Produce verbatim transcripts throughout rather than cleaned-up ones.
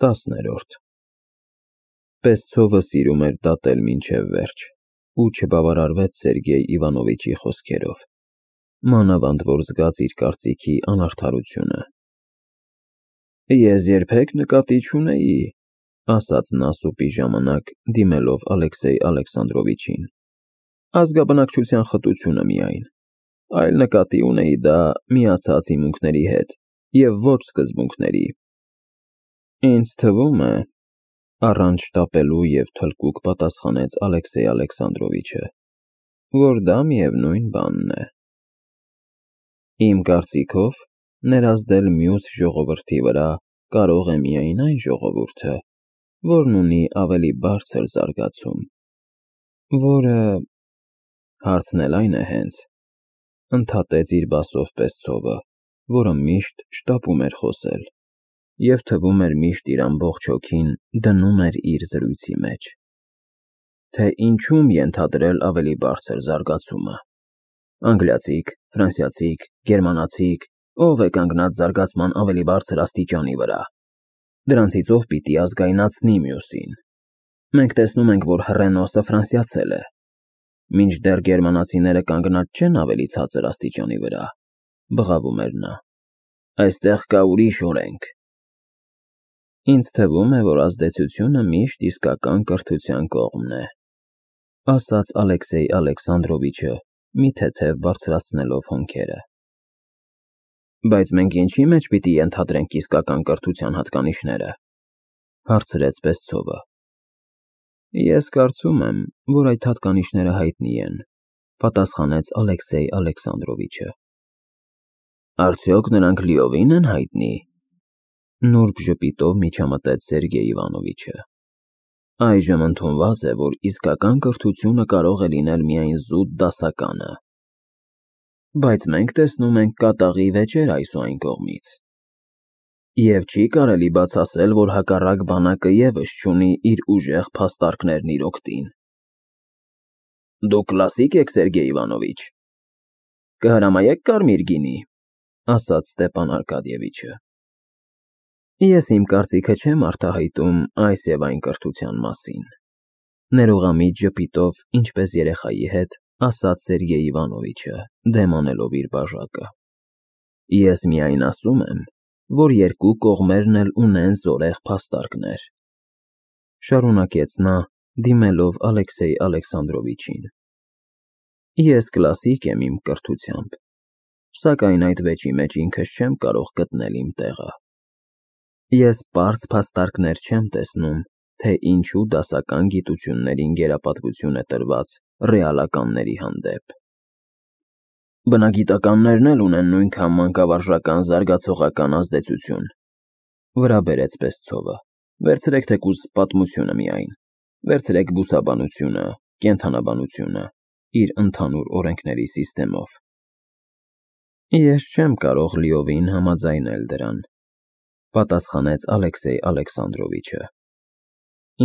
Տասներորդ Պեսցովը սիրում էր դատել մինչև վերջ, ու չբավարարվեց Սերգեյ Իվանովիչի խոսքերով, մանավանդ որ զգաց իր կարծիքի անարդարությունը։ Ես երբեք նկատի չունեի, ասաց նա սուպի ժամանակ, դիմելով Ալեքսեյ Ալեքսանդրովիչին, ազգաբնակչության խտությունը միայն, այլ նկատի ունեի դա միացած հիմունքների հետ և ոչ սկզբունքների։ Ինձ թվում է, առանց շտապելու և թլկուկ պատասխանեց Ալեքսեյ Ալեքսանդրովիչը, որ դա միևնույն բանն է։ Իմ կարծիքով, ներազդել մյուս ժողովրդի վրա կարող է միայն այն ժողովուրդը, որն ունի ավելի բարձր զարգացում, որը… Հարցն էլ այն է հենց, ընդհատեց իր բասով Պեսցովը, որը միշտ շտապում էր խոսել և թվում էր միշտ իր ամբողջ հոգին դնում էր իր զրույցի մեջ, թե ինչում ենթադրել ավելի բարձր զարգացումը, անգլիացի՞ք, ֆրանսիացի՞ք, գերմանացի՞ք, ով է կանգնած զարգացման ավելի բարձր աստիճանի վրա, դրանցից ով պիտի ազգայնացնի մյուսին։ Մենք տեսնում ենք, որ հռենոսը ֆրանսիացել է, մինչդեռ գերմանացիները կանգնած չեն ավելի ցածր աստիճանի վրա, բղավում էր նա, այստեղ կա ուրիշ օրենք։ Ինձ թվում է, որ ազդեցությունը միշտ իսկական կրթության կողմն է, ասաց Ալեքսեյ Ալեքսանդրովիչը, մի թեթև բարձրացնելով հոնքերը։ Բայց մենք ինչի մեջ պիտի ենթադրենք իսկական կրթության հատկանիշները, հարցրեց Պեսցովը։ Ես կարծում եմ, որ այդ հատկանիշները հայտնի են, պատասխանեց Ալեքսեյ Ալեքսանդրովիչը։ Արդյոք նրանք լիովին են հայտնի, նուրբ ժպիտով միջամտեց Սերգեյ Իվանովիչը։ Այժմ ընդունված է, որ իսկական կրթությունը կարող է լինել միայն զուտ դասականը։ Բայց մենք տեսնում ենք կատաղի վեճեր այս ու այն կողմից։ Եվ չի կարելի բաց ասել, որ հակառակ բանակը ևս չունի իր ուժեղ փաստարկներն իր օգտին։ Դուք կլասիկ եք, Սերգեյ Իվանովիչ։ Կհրամայեք կարմիր գինի, ասաց Ստեպան Արկադիևիչը։ Ես իմ կարծիքը չեմ արտահայտում այս և այն կրթության մասին, ներողամիտ ժպիտով, ինչպես երեխայի հետ, ասաց Սերգեյ Իվանովիչը, դեմ անելով իր բաժակը։ Ես միայն ասում եմ, որ երկու կողմերն էլ ունեն զորեղ փաստարկներ, շարունակեց նա, դիմելով Ալեքսեյ Ալեքսանդրովիչին։ Ես կլասիկ եմ իմ կրթությամբ, սակայն այդ վեճի մեջ ինքս չեմ կարող գտնել իմ տեղը։ Ես պարզ փաստարկներ չեմ տեսնում, թե ինչու դասական գիտություններին գերապատվություն է տրված ռեալականների հանդեպ։ Բնագիտականներն էլ ունեն նույնքան մանկավարժական զարգացողական ազդեցություն, վրա բերեց Պեսցովը, վերցրեք թեկուզ պատմությունը միայն, վերցրեք բուսաբանությունը, կենդանաբանությունը, իր ընդհանուր օրենքների սիստեմով։ Ես չեմ կարող լիովին համաձայնել դրան, պատասխանեց Ալեքսեյ Ալեքսանդրովիչը։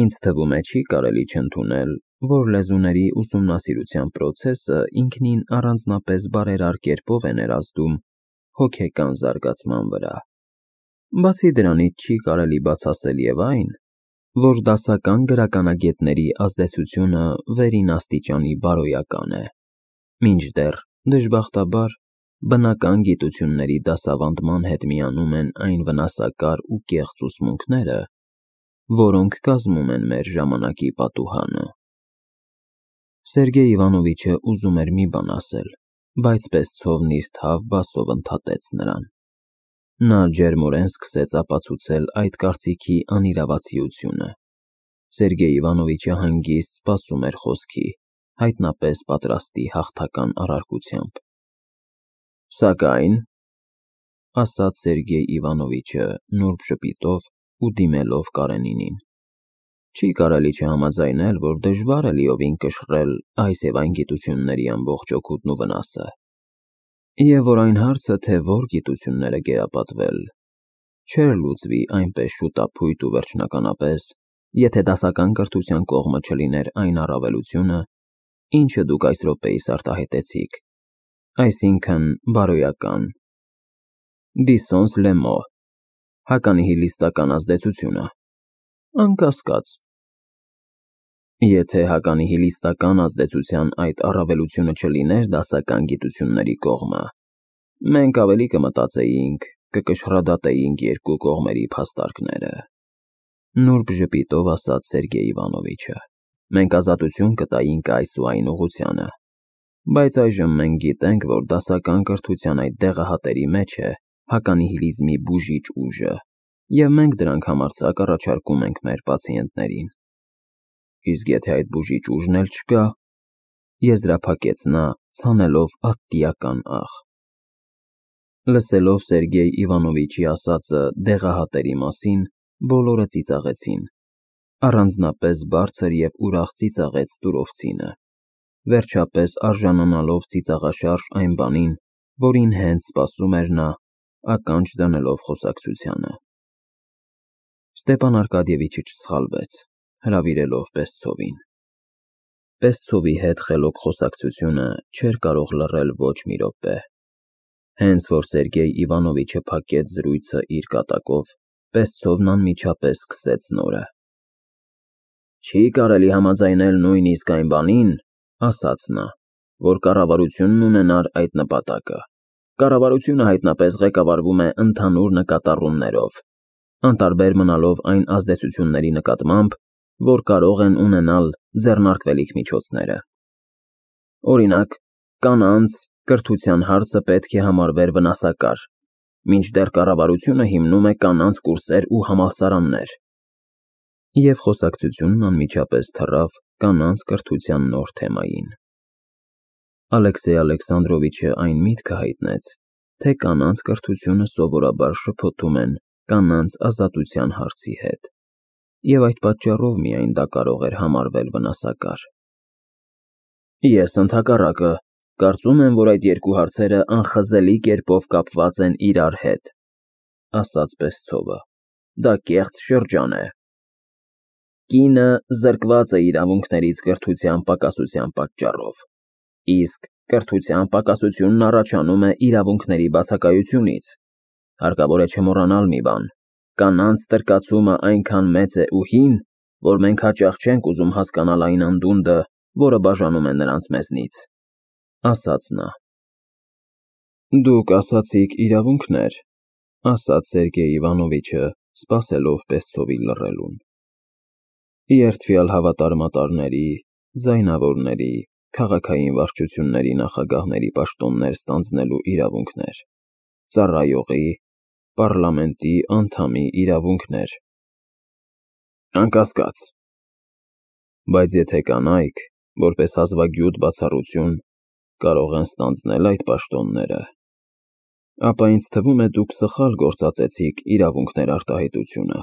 Ինձ թվում է չի կարելի չընդունել, որ լեզուների ուսումնասիրության պրոցեսը ինքնին առանձնապես բարերար կերպով է ներազդում հոգեկան զարգացման վրա։ Բացի դրանից չի կարելի բաց ասել և այն, որ դասական գրականագետների ազդեցությունը վերին աստիճանի բարոյական է, մինչդեռ, դժբախտաբար, բնական գիտությունների դասավանդման հետ միանում են այն վնասակար ու կեղծ ուսմունքները, որոնք կազմում են մեր ժամանակի պատուհանը։ Սերգեյ Իվանովիչը ուզում էր մի բան ասել, բայց Պեսցովն իր թավ բասով ընդհատեց նրան։ Նա ջերմորեն սկսեց ապացուցել այդ կարծիքի անիրավացիությունը։ Սերգեյ Իվանովիչը հանգիստ սպասում էր խոսքի, հայտնապես պատրաստի հաղթական առարկությամբ։ Սակայն, ասաց Սերգեյ Իվանովիչը նուրբ ժպիտով ու դիմելով Կարենինին, չի կարելի չհամաձայնել, որ դժվար է լիովին կշռել այս և այն գիտությունների ամբողջ օգուտն ու վնասը, և որ այն հարցը, թե որ գիտությունները գերապատվել, չէր լուծվի այնպես շուտափույթ ու վերջնականապես, եթե դասական կրթության կողմը չլիներ այն առավելությունը, ինչը դուք այս րոպեիս արտահայտեցիք, այսինքն բարոյական, դիսոնս լե մոտ, հականիհիլիստական ազդեցությունը։ Անկասկած։ Եթե հականի հիլիստական ազդեցության այդ առավելությունը չլիներ դասական գիտությունների կողմը, մենք ավելի կմտածեինք, կկշռադատեինք երկու կողմերի փաստարկները, նուրբ ժպիտով ասաց Սերգեյ Իվանովիչը, մենք ազատություն կտայինք այս ու այն ուղղությանը, բայց այժմ մենք գիտենք, որ դասական կրթության այդ դեղահատերի մեջ է հականիհիլիզմի բուժիչ ուժը, և մենք դրանք համարձակ առաջարկում ենք մեր պացիենտներին։ Իսկ եթե այդ բուժիչ ուժն էլ չկա, եզրափակեց նա, ցանելով ատտիական աղ։ Լսելով Սերգեյ Իվանովիչի ասածը դեղահատերի մասին, բոլորը ծիծաղեցին, առանձնապես բարձր և ուրախ ծիծաղեց Տուրովցինը, վերջապես արժանանալով ծիծաղաշարժ այն բանին, որին հենց սպասում էր նա, ականջ դնելով խոսակցությանը։ Ստեպան Արկադիևիչը չսխալվեց, հրավիրելով Պեսցովին։ Պեսցովի հետ խելոք խոսակցությունը չէր կարող լռել ոչ մի րոպե։ Հենց որ Սերգեյ Իվանովիչը փակեց զրույցը իր կատակով, Պեսցովն անմիջապես սկսեց նորը. Չի կարելի համաձայնել նույնիսկ այն բանին, ասաց նա, որ կառավարությունն ունենար այդ նպատակը։ Կառավարությունը հայտնապես ղեկավարվում է ընդհանուր նկատառումներով, անտարբեր մնալով այն ազդեցությունների նկատմամբ, որ կարող են ունենալ ձեռնարկվելիք միջոցները։ Օրինակ, կանանց կրթության հարցը պետք է համարվեր վնասակար, մինչդեռ կառավարությունը հիմնում է կանանց կուրսեր ու համալսարաններ։ Եվ խոսակցությունն անմիջապես թռավ կանանց կրթության նոր թեմային։ Ալեքսեյ Ալեքսանդրովիչը այն միտքը հայտնեց, թե կանանց կրթությունը սովորաբար շփոթում են կանանց ազատության հարցի հետ, և այդ պատճառով միայն դա կարող էր համարվել վնասակար։ Ես ընդհակառակը կարծում եմ, որ այդ երկու հարցերը անխզելի կերպով կապված են իրար հետ, ասաց Պեսցովը, դա կեղծ շրջան է։ Կինը զրկված է իրավունքներից կրթության պակասության պատճառով, իսկ կրթության պակասությունն առաջանում է իրավունքների բացակայությունից։ Հարկավոր է չմոռանալ մի բան. կանանց տրկացումը այնքան մեծ է ու հին, որ մենք հաճախ չենք ուզում հասկանալ այն անդունդը, որը բաժանում է նրանց մեզնից, ասաց նա։ Դուք ասացիք իրավունքներ, ասաց Սերգեյ Իվանովիչը, սպասելով Պեսցովի լռելուն։ Երդվյալ հավատարմատարների, ձայնավորների, քաղաքային վարչությունների նախագահների պաշտոններ ստանձնելու իրավունքներ, ծառայողի, պառլամենտի անդամի իրավունքներ։ Անկասկած։ Բայց եթե կանայք, որպես հազվագյուտ բացառություն, կարող են ստանձնել այդ պաշտոնները, ապա ինձ թվում է դուք սխալ գործածեցիք իրավունքներ արտահայտությունը։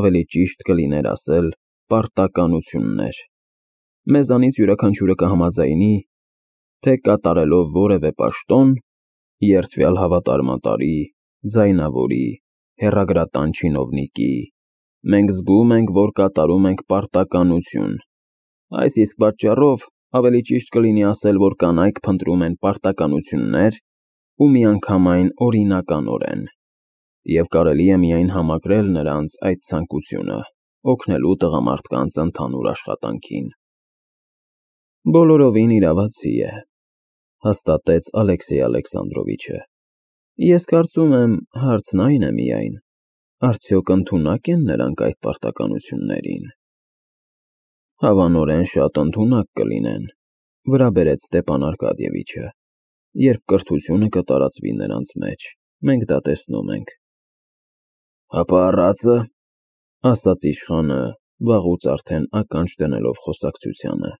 Ավելի ճիշտ կլիներ ասել պարտականություններ։ Մեզանից յուրաքանչյուրը կհամաձայնի, թե կատարելով որևէ պաշտոն, երդվյալ հավատարմատարի, ձայնավորի, հեռագրատան չինովնիկի, մենք զգում ենք, որ կատարում ենք պարտականություն։ Այս իսկ պատճառով ավելի ճիշտ կլինի ասել, որ կանայք փնտրում են պարտականություններ ու միանգամայն օրինականորեն, և կարելի է միայն համակրել նրանց այդ ցանկությունը, օգնելու տղամարդկանց ընդհանուր աշխատանքին։ Բոլորովին իրավացի է, հաստատեց Ալեքսեյ Ալեքսանդրովիչը։ Ես կարծում եմ, հարցն այն է միայն, արդյոք ընդունակ են նրանք այդ պարտականություններին։ Հավանորեն շատ ընդունակ կլինեն, վրա բերեց Ստեպան Արկադիևիչը, երբ կրթությունը կտարածվի նրանց մեջ, մենք դա տեսնում ենք։ Հապա առածը, ասաց իշխանը, վաղուց արդեն ականջ դնելով խոսակցությանը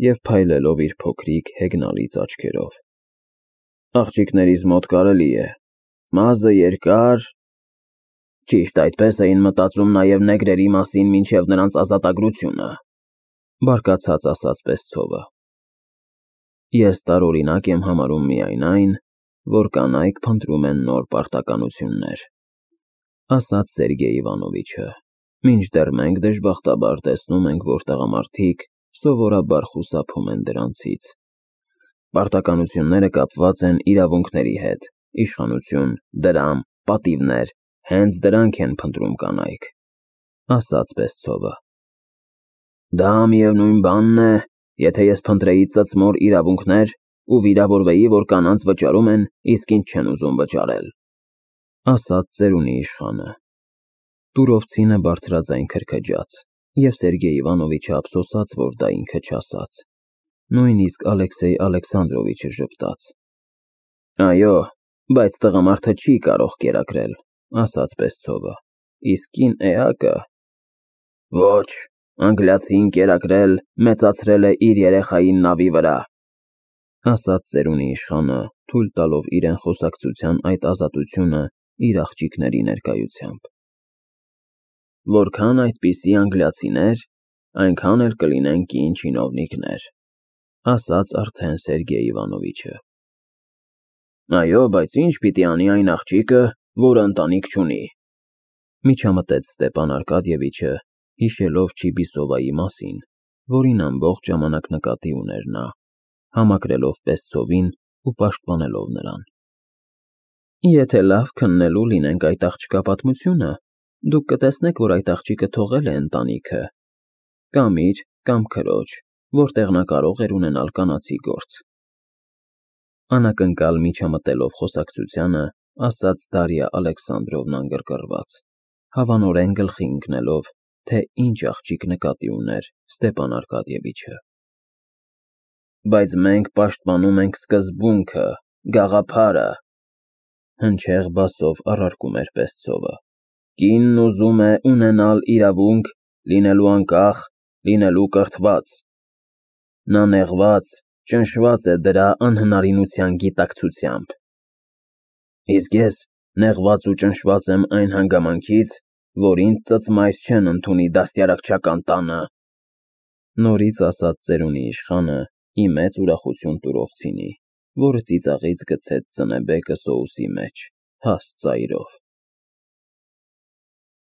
և փայլելով իր փոքրիկ հեգնալից աչքերով։ Աղջիկներիս մոտ կարելի է, մազը երկար, ճիշտ այդպես էին մտածում նաև նեգրերի մասին մինչև նրանց ազատագրությունը, բարկացած ասաց Պեսցովը։ Ես տարօրինակ եմ համարում միայն այն, որ կանայք փնտրում են նոր պարտականություններ, ասաց Սերգեյ Իվանովիչը, մինչդեռ մենք դժբախտաբար տեսնում ենք, որ տղամարդիկ սովորաբար խուսափում են դրանցից։ Պարտականությունները կապված են իրավունքների հետ, իշխանություն, դրամ, պատիվներ, հենց դրանք են փնտրում կանայք։ ասաց Պեսցովը։ Դա միևնույն բանն է, եթե ես փնտրեի ծծմոր իրավունքներ ու վիրավորվեի, որ կանանց վճարում են, իսկ ինձ չեն ուզում վճարել, ասաց ծերունի իշխանը։ Տուրովցինը բարձրաձայն քրքջաց, և Սերգեյ Իվանովիչը ափսոսաց, որ դա ինքը չասաց։ Նույնիսկ Ալեքսեյ Ալեքսանդրովիչը ժպտաց։ Այո, բայց տղամարդը չի կարող կերակրել, ասաց Պեսցովը, իսկ կին էակը… Ոչ, անգլիացին կերակրել, մեծացրել է իր երեխային նավի վրա, ասաց ծերունի իշխանը, թույլ տալով իրեն խոսակցության այդ ազատությունը իր աղջիկների ներկայությամբ։ Որքան այդպիսի անգլիացիներ, այնքան էլ կլինեն կին չինովնիկներ, ասաց արդեն Սերգեյ Իվանովիչը։ Այո, բայց ինչ պիտի անի այն աղջիկը, որը ընտանիք չունի, միջամտեց Ստեպան Արկադիևիչը, հիշելով Չիբիսովայի մասին, որին ամբողջ ժամանակ նկատի ուներ նա, համակրելով Պեսցովին ու պաշտպանելով նրան։ Եթե լավ քննելու լինենք այդ աղջկա պատմությունը, դուք կտեսնեք, որ այդ աղջիկը թողել է ընտանիքը, կամ իր, կամ քրոջ, որտեղ նա կարող էր ունենալ կանացի գործ։ Անակնկալ միջամտելով խոսակցությանը, ասաց Դարիա Ալեքսանդրովնան գրգռված, հավանորեն գլխի ընկնելով, թե ինչ աղջիկ նկատի ուներ Ստեպան Արկադիևիչը։ Բայց մենք պաշտպանում ենք սկզբունքը, գաղափարը, հնչեղ բասով առարկում էր Պեսցովը։ Կինն ուզում է ունենալ իրավունք, լինելու անկախ, լինելու կրթված։ Նա նեղված, ճնշված է դրա անհնարինության գիտակցությամբ։ Իսկ ես նեղված ու ճնշված եմ այն հանգամանքից, որ ինձ ծծմայր չեն ընդունի դաստիարակչական տանը, նորից ասաց ծերունի իշխանը, ի մեծ ուրախություն Տուրովցինի, որը ծիծաղից գցեց ծնեբեկը սոուսի մեջ, հաստ ծայրով։